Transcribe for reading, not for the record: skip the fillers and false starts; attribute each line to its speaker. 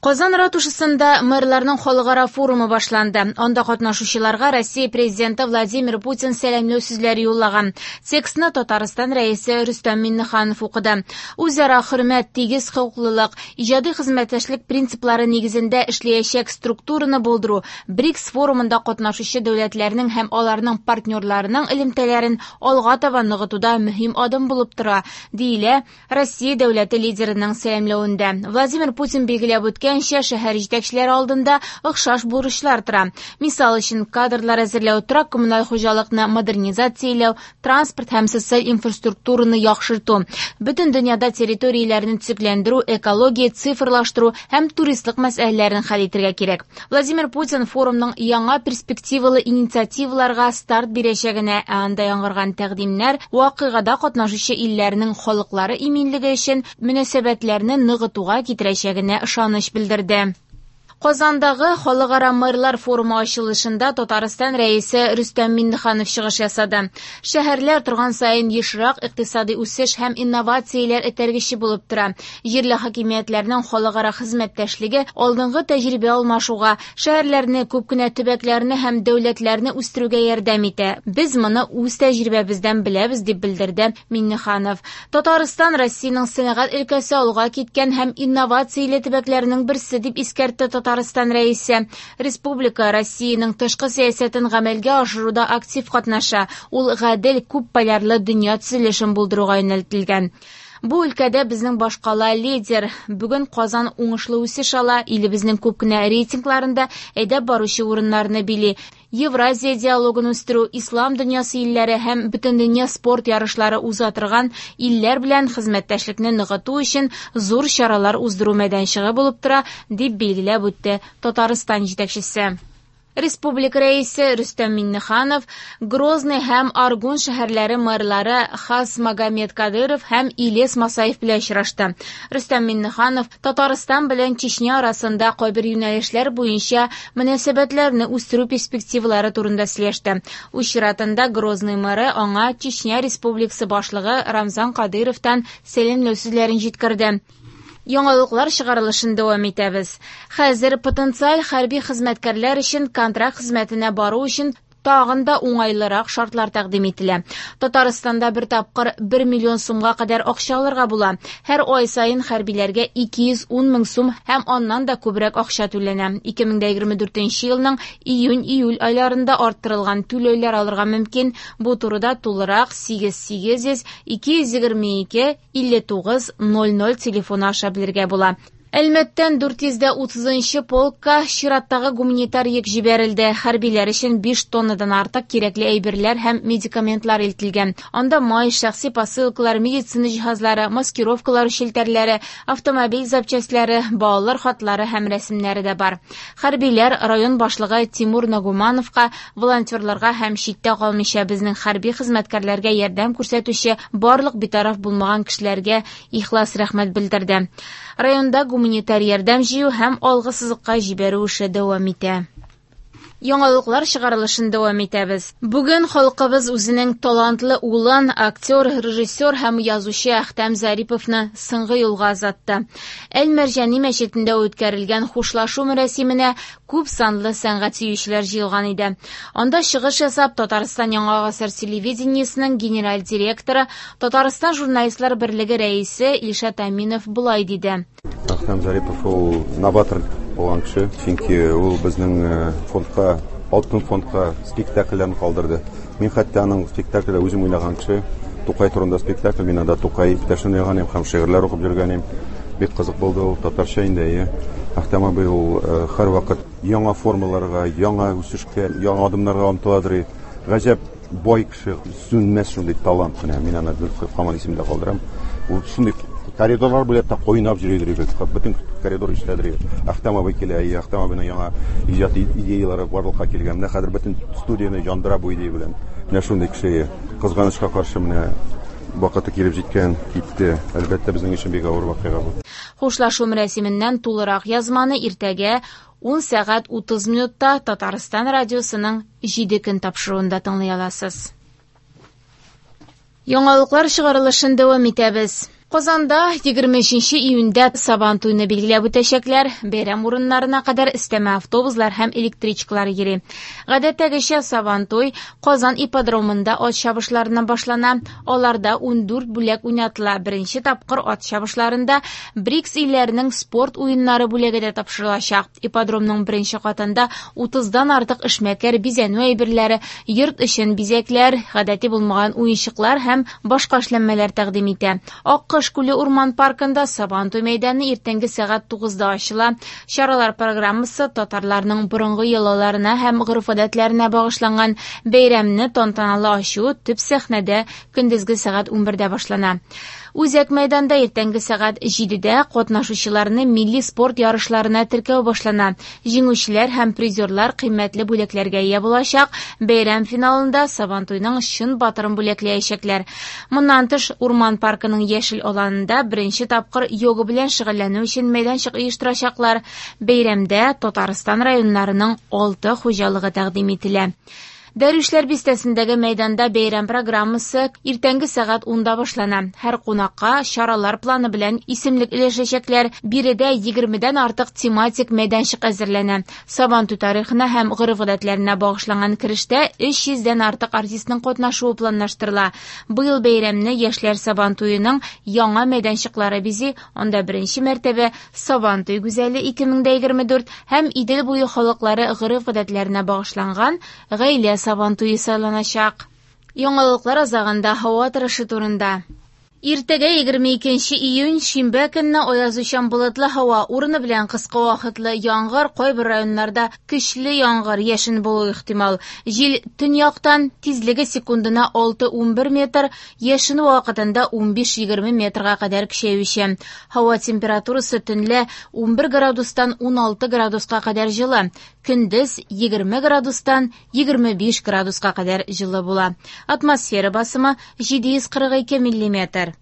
Speaker 1: Казан ратушасында мэрларның халыкара форумы башланды. Анда катнашучыларга Россия президенты Владимир Путин сәламләү сүзләре юллаган. Текстны Татарстан Рәисе Рөстәм Миңнеханов укыды. Үзара хөрмәт, тигез хокуклылык, иҗади хезмәттәшлек принциплары нигезендә эшләячәк структураны булдыру БРИКС форумында катнашучы дәүләтләрнең һәм аларның партнерларының элемтәләрен алга таба ныгытуда мөһим адым булып тора, диелә Россия дәүләте лидерының сәламләвендә. Владимир Путин билгеләп үткәнчә, шәһәр җитәкчеләре алдында охшаш бурычлар тора. Мисал өчен, кадрлар әзерләү, торак-коммуналь хуҗалыкны модернизацияләү, транспорт һәм социаль инфраструктураны яхшырту. Бөтен дөньяда территорияләрне төзекләндерү, экология, цифрлаштыру һәм туристлык мәсьәләләрен хәл итәргә кирәк. Владимир Путин форумның яңа перспективалы инициативаларга старт бирәчәгенә, ә анда яңгыраган тәкъдимнәр вакыйгада катнашучы илләрнең халыклары иминлеге өчен мөнәсәбәтләрне ныгытуга китерәчәгенә ышаныч белдерде. Казандагы Халыкара мэрлар форумы ачылышында Татарстан Рәисе Рөстәм Миңнеханов чыгыш ясады. Шәһәрләр торган саен ешрак икътисади үсеш һәм инновацияләр этәргече булып тора. Җирле хакимиятләрнең халыкара хезмәттәшлеге алдынгы тәҗрибә алмашуга, шәһәрләрне, күп кенә төбәкләрне һәм дәүләтләрне үстерүгә ярдәм итә. Без моны үз тәҗрибәбездән беләбез, дип белдерде Миңнеханов. Татарстан Россиянең сәнәгать өлкәсе алга киткән һәм инновацияле төбәкләренең берсе, дип искәртте Татарстан Рәисе. Республика Россиянең тышкы сәясәтен гамәлгә ашыруда актив катнаша, ул гадел, күп полярлы дөнья төзелешен булдыруга юнәлтелгән. Бу өлкәдә безнең башкала лидер. Бүген Казан уңышлы үсеш ала, илебезнең күп кенә рейтингларында әйдәп баручы урыннарны били. Евразия диалогын үстерү, ислам дөньясы илләре һәм бөтендөнья спорт ярышлары уза торган илләр белән хезмәттәшлекне ныгыту өчен зур чаралар уздыру мәйданчыгы булып тора, дип билгеләп үтте Татарстан җитәкчесе. Республика Рәисе Рөстәм Миңнеханов Грозный һәм Аргун шәһәрләре мэрлары Хас Магомед Кадыров һәм Илес Масаев белән очрашты. Рөстәм Миңнеханов Татарстан белән Чечня арасында кайбер юнәлешләр буенча мөнәсәбәтләрне үстерү перспективалары турында сөйләште. Үз чиратында Грозный мэры аңа Чечня Республикасы башлыгы Рамзан Кадыровтан сәламләү сүзләрен җиткерде. Яңалыклар чыгарылышын дәвам итәбез. Хәзер потенциаль хәрби хезмәткәрләр өчен контракт хезмәтенә бару өчен тагын да уңайлырак шартлар тәкъдим ителә. Татарстанда бер тапкыр 1 миллион сумга кадәр акча алырга була. Һәр ай саен хәрбиләргә 210 мең сум һәм аннан да күбрәк акча түләнә. 2024 елның июнь-июль айларында арттырылган түләүләр алырга мөмкин. Бу турыда тулырак 8800 222 59 00 телефоны аша белергә була. Әлмәттән 430 нчы полкка чираттагы гуманитар йөк җибәрелде. Хәрбиләр өчен 5 тоннадан артык кирәкле әйберләр һәм медикаментлар илтелгән. Анда май, шәхси посылкалар, медицина җиһазлары, маскировкалар челтәрләре, автомобиль запчастьләре, балалар хатлары һәм рәсемнәре дә бар. Хәрбиләр район башлыгы Тимур Нагумановка, волонтерларга һәм читтә калмыйча безнең хәрби хезмәткәрләргә ярдәм күрсәтүче барлык битараф булмаган кешеләргә ихлас рәхмәт белдерде. Районда гуманитар ярдәм җыю һәм алгы сызыкка җибәрү эше дәвам итә. Яңалыклар чыгарылышын дәвам итәбез. Бүген халкыбыз үзенең талантлы улын, актер, режиссер һәм язучы Әхтәм Зариповны соңгы юлга озатты. Әл-Мәрҗани мәчетендә үткәрелгән хушлашу мәрасименә күп санлы сәнгать сөючеләр җыелган иде. Анда чыгыш ясап, Татарстан Яңа гасыр телевидениесенең генераль директоры, Татарстан журналистлар берлеге рәисе Илшат Аминов болай диде.
Speaker 2: Әхтәм Зарипов ул новатор булган кеше, чөнки ул безнең фондка, алтын фондка спектакльләрен калдырды. Мин хәтта аның спектакльдә үзем уйнаган кеше, Тукай турында спектакль, мин анда Тукай иптәшен уйнаган идем һәм шигырьләр укып йөргән идем. Бик кызык булды ул, татарча инде, әйе. Әхтәм абый ул һәрвакыт яңа формаларга, яңа үсешкә, яңа адымнарга омтыладыр. Гаҗәп бай кеше, сүнмәс шундый талант менә. Мин аны һаман исемдә калдырам. Ул шундый коридорлар буйлап та койнап йөридер иде. Бөтен коридор ишетәдер иде. Әхтәм абый килә, әйе, Әхтәм абыйның яңа иҗат идеялары барлыкка килгән. Менә хәзер бөтен студияне яндыра бу идея белән. Менә шундый кеше. Кызганычка каршы, менә вакыты килеп җиткән, китте. Әлбәттә, безнең өчен бик авыр вакыйга бу.
Speaker 1: Хушлашу мәрасименнән тулырак язманы иртәгә 10 сәгать 30 минутта Татарстан радиосының 7 көн тапшыруында тыңлый аласыз. Яңалыклар чыгарылышын дәвам итәбез. Казанда 23 июньдә Сабантуйны билгеләп үтәчәкләр. Бәйрәм урыннарына кадәр өстәмә автобуслар һәм электричкалар йөри. Гадәттәгечә Сабантуй Казан ипподромында ат чабышларыннан башлана. Аларда 14 бүләк уйнатыла. Беренче тапкыр ат чабышларында БРИКС илләренең спорт уеннары бүләге дә тапшырылачак. Ипподромның беренче катында 30-дан артык эшмәкәр бизәнү әйберләре, йорт өчен бизәкләр, гадәти булмаган уенчыклар һәм башка эшләнмәләр тәкъдим итә. Аккош күле урман паркында Сабантуй мәйданы иртәнге сәгать 9-да ачыла. Чаралар программасы татарларның борынгы йолаларына һәм гореф-гадәтләренә багышланган. Бәйрәмне тантаналы ачу төп сәхнәдә көндезге сәгать 11-дә башлана. Үзәк мәйданда иртәнге сәгать 7-дә катнашучыларны милли спорт ярышларына теркәү башлана. Җиңүчеләр һәм призерлар кыйммәтле бүләкләргә ия булачак. Бәйрәм финалында Сабантуйның чын батырын бүләкләячәкләр. Моннан тыш, урман паркының яшел аланында беренче тапкыр йога белән шөгыльләнү өчен мәйданчык оештырачаклар. Бәйрәмдә Татарстан районнарының 6 хуҗалыгы тәкъдим ителә. Дәрвишләр бистәсендәге мәйданда бәйрәм программасы иртәнге сәгать 10-да башлана. Һәр кунакка чаралар планы белән исемлек өләшәчәкләр. Биредә 20-дән артык тематик мәйданчык әзерләнә. Сабантуй тарихына һәм гореф-гадәтләренә багышланган керештә 300-дән артык артистның катнашуы планлаштырыла. Быел бәйрәмне Яшьләр Сабантуеның яңа мәйданчыклары бизи. Анда беренче мәртәбә Сабантуй гүзәле 2024 һәм Идел буе халыклары гореф-гадәтләренә багышланган гаилә Сабантуе сайланачак. Яңалыклар азагында һава торышы турында. Иртәгә 22 июнь шимбә көнне аязучан болытлы һава, урыны белән кыска вакытлы яңгыр, кайбер районнарда көчле яңгыр, яшен булу ихтимал. Җил төньяктан, тизлеге секундына 6-11 метр, яшен вакытында 15-20 метрга кадәр көчәюче. Һава температурасы төнлә 11 градустан 16 градуска кадәр җылы, көндез 20 градустан 25 градуска кадәр җылы була. Атмосфера басымы 742 миллиметр.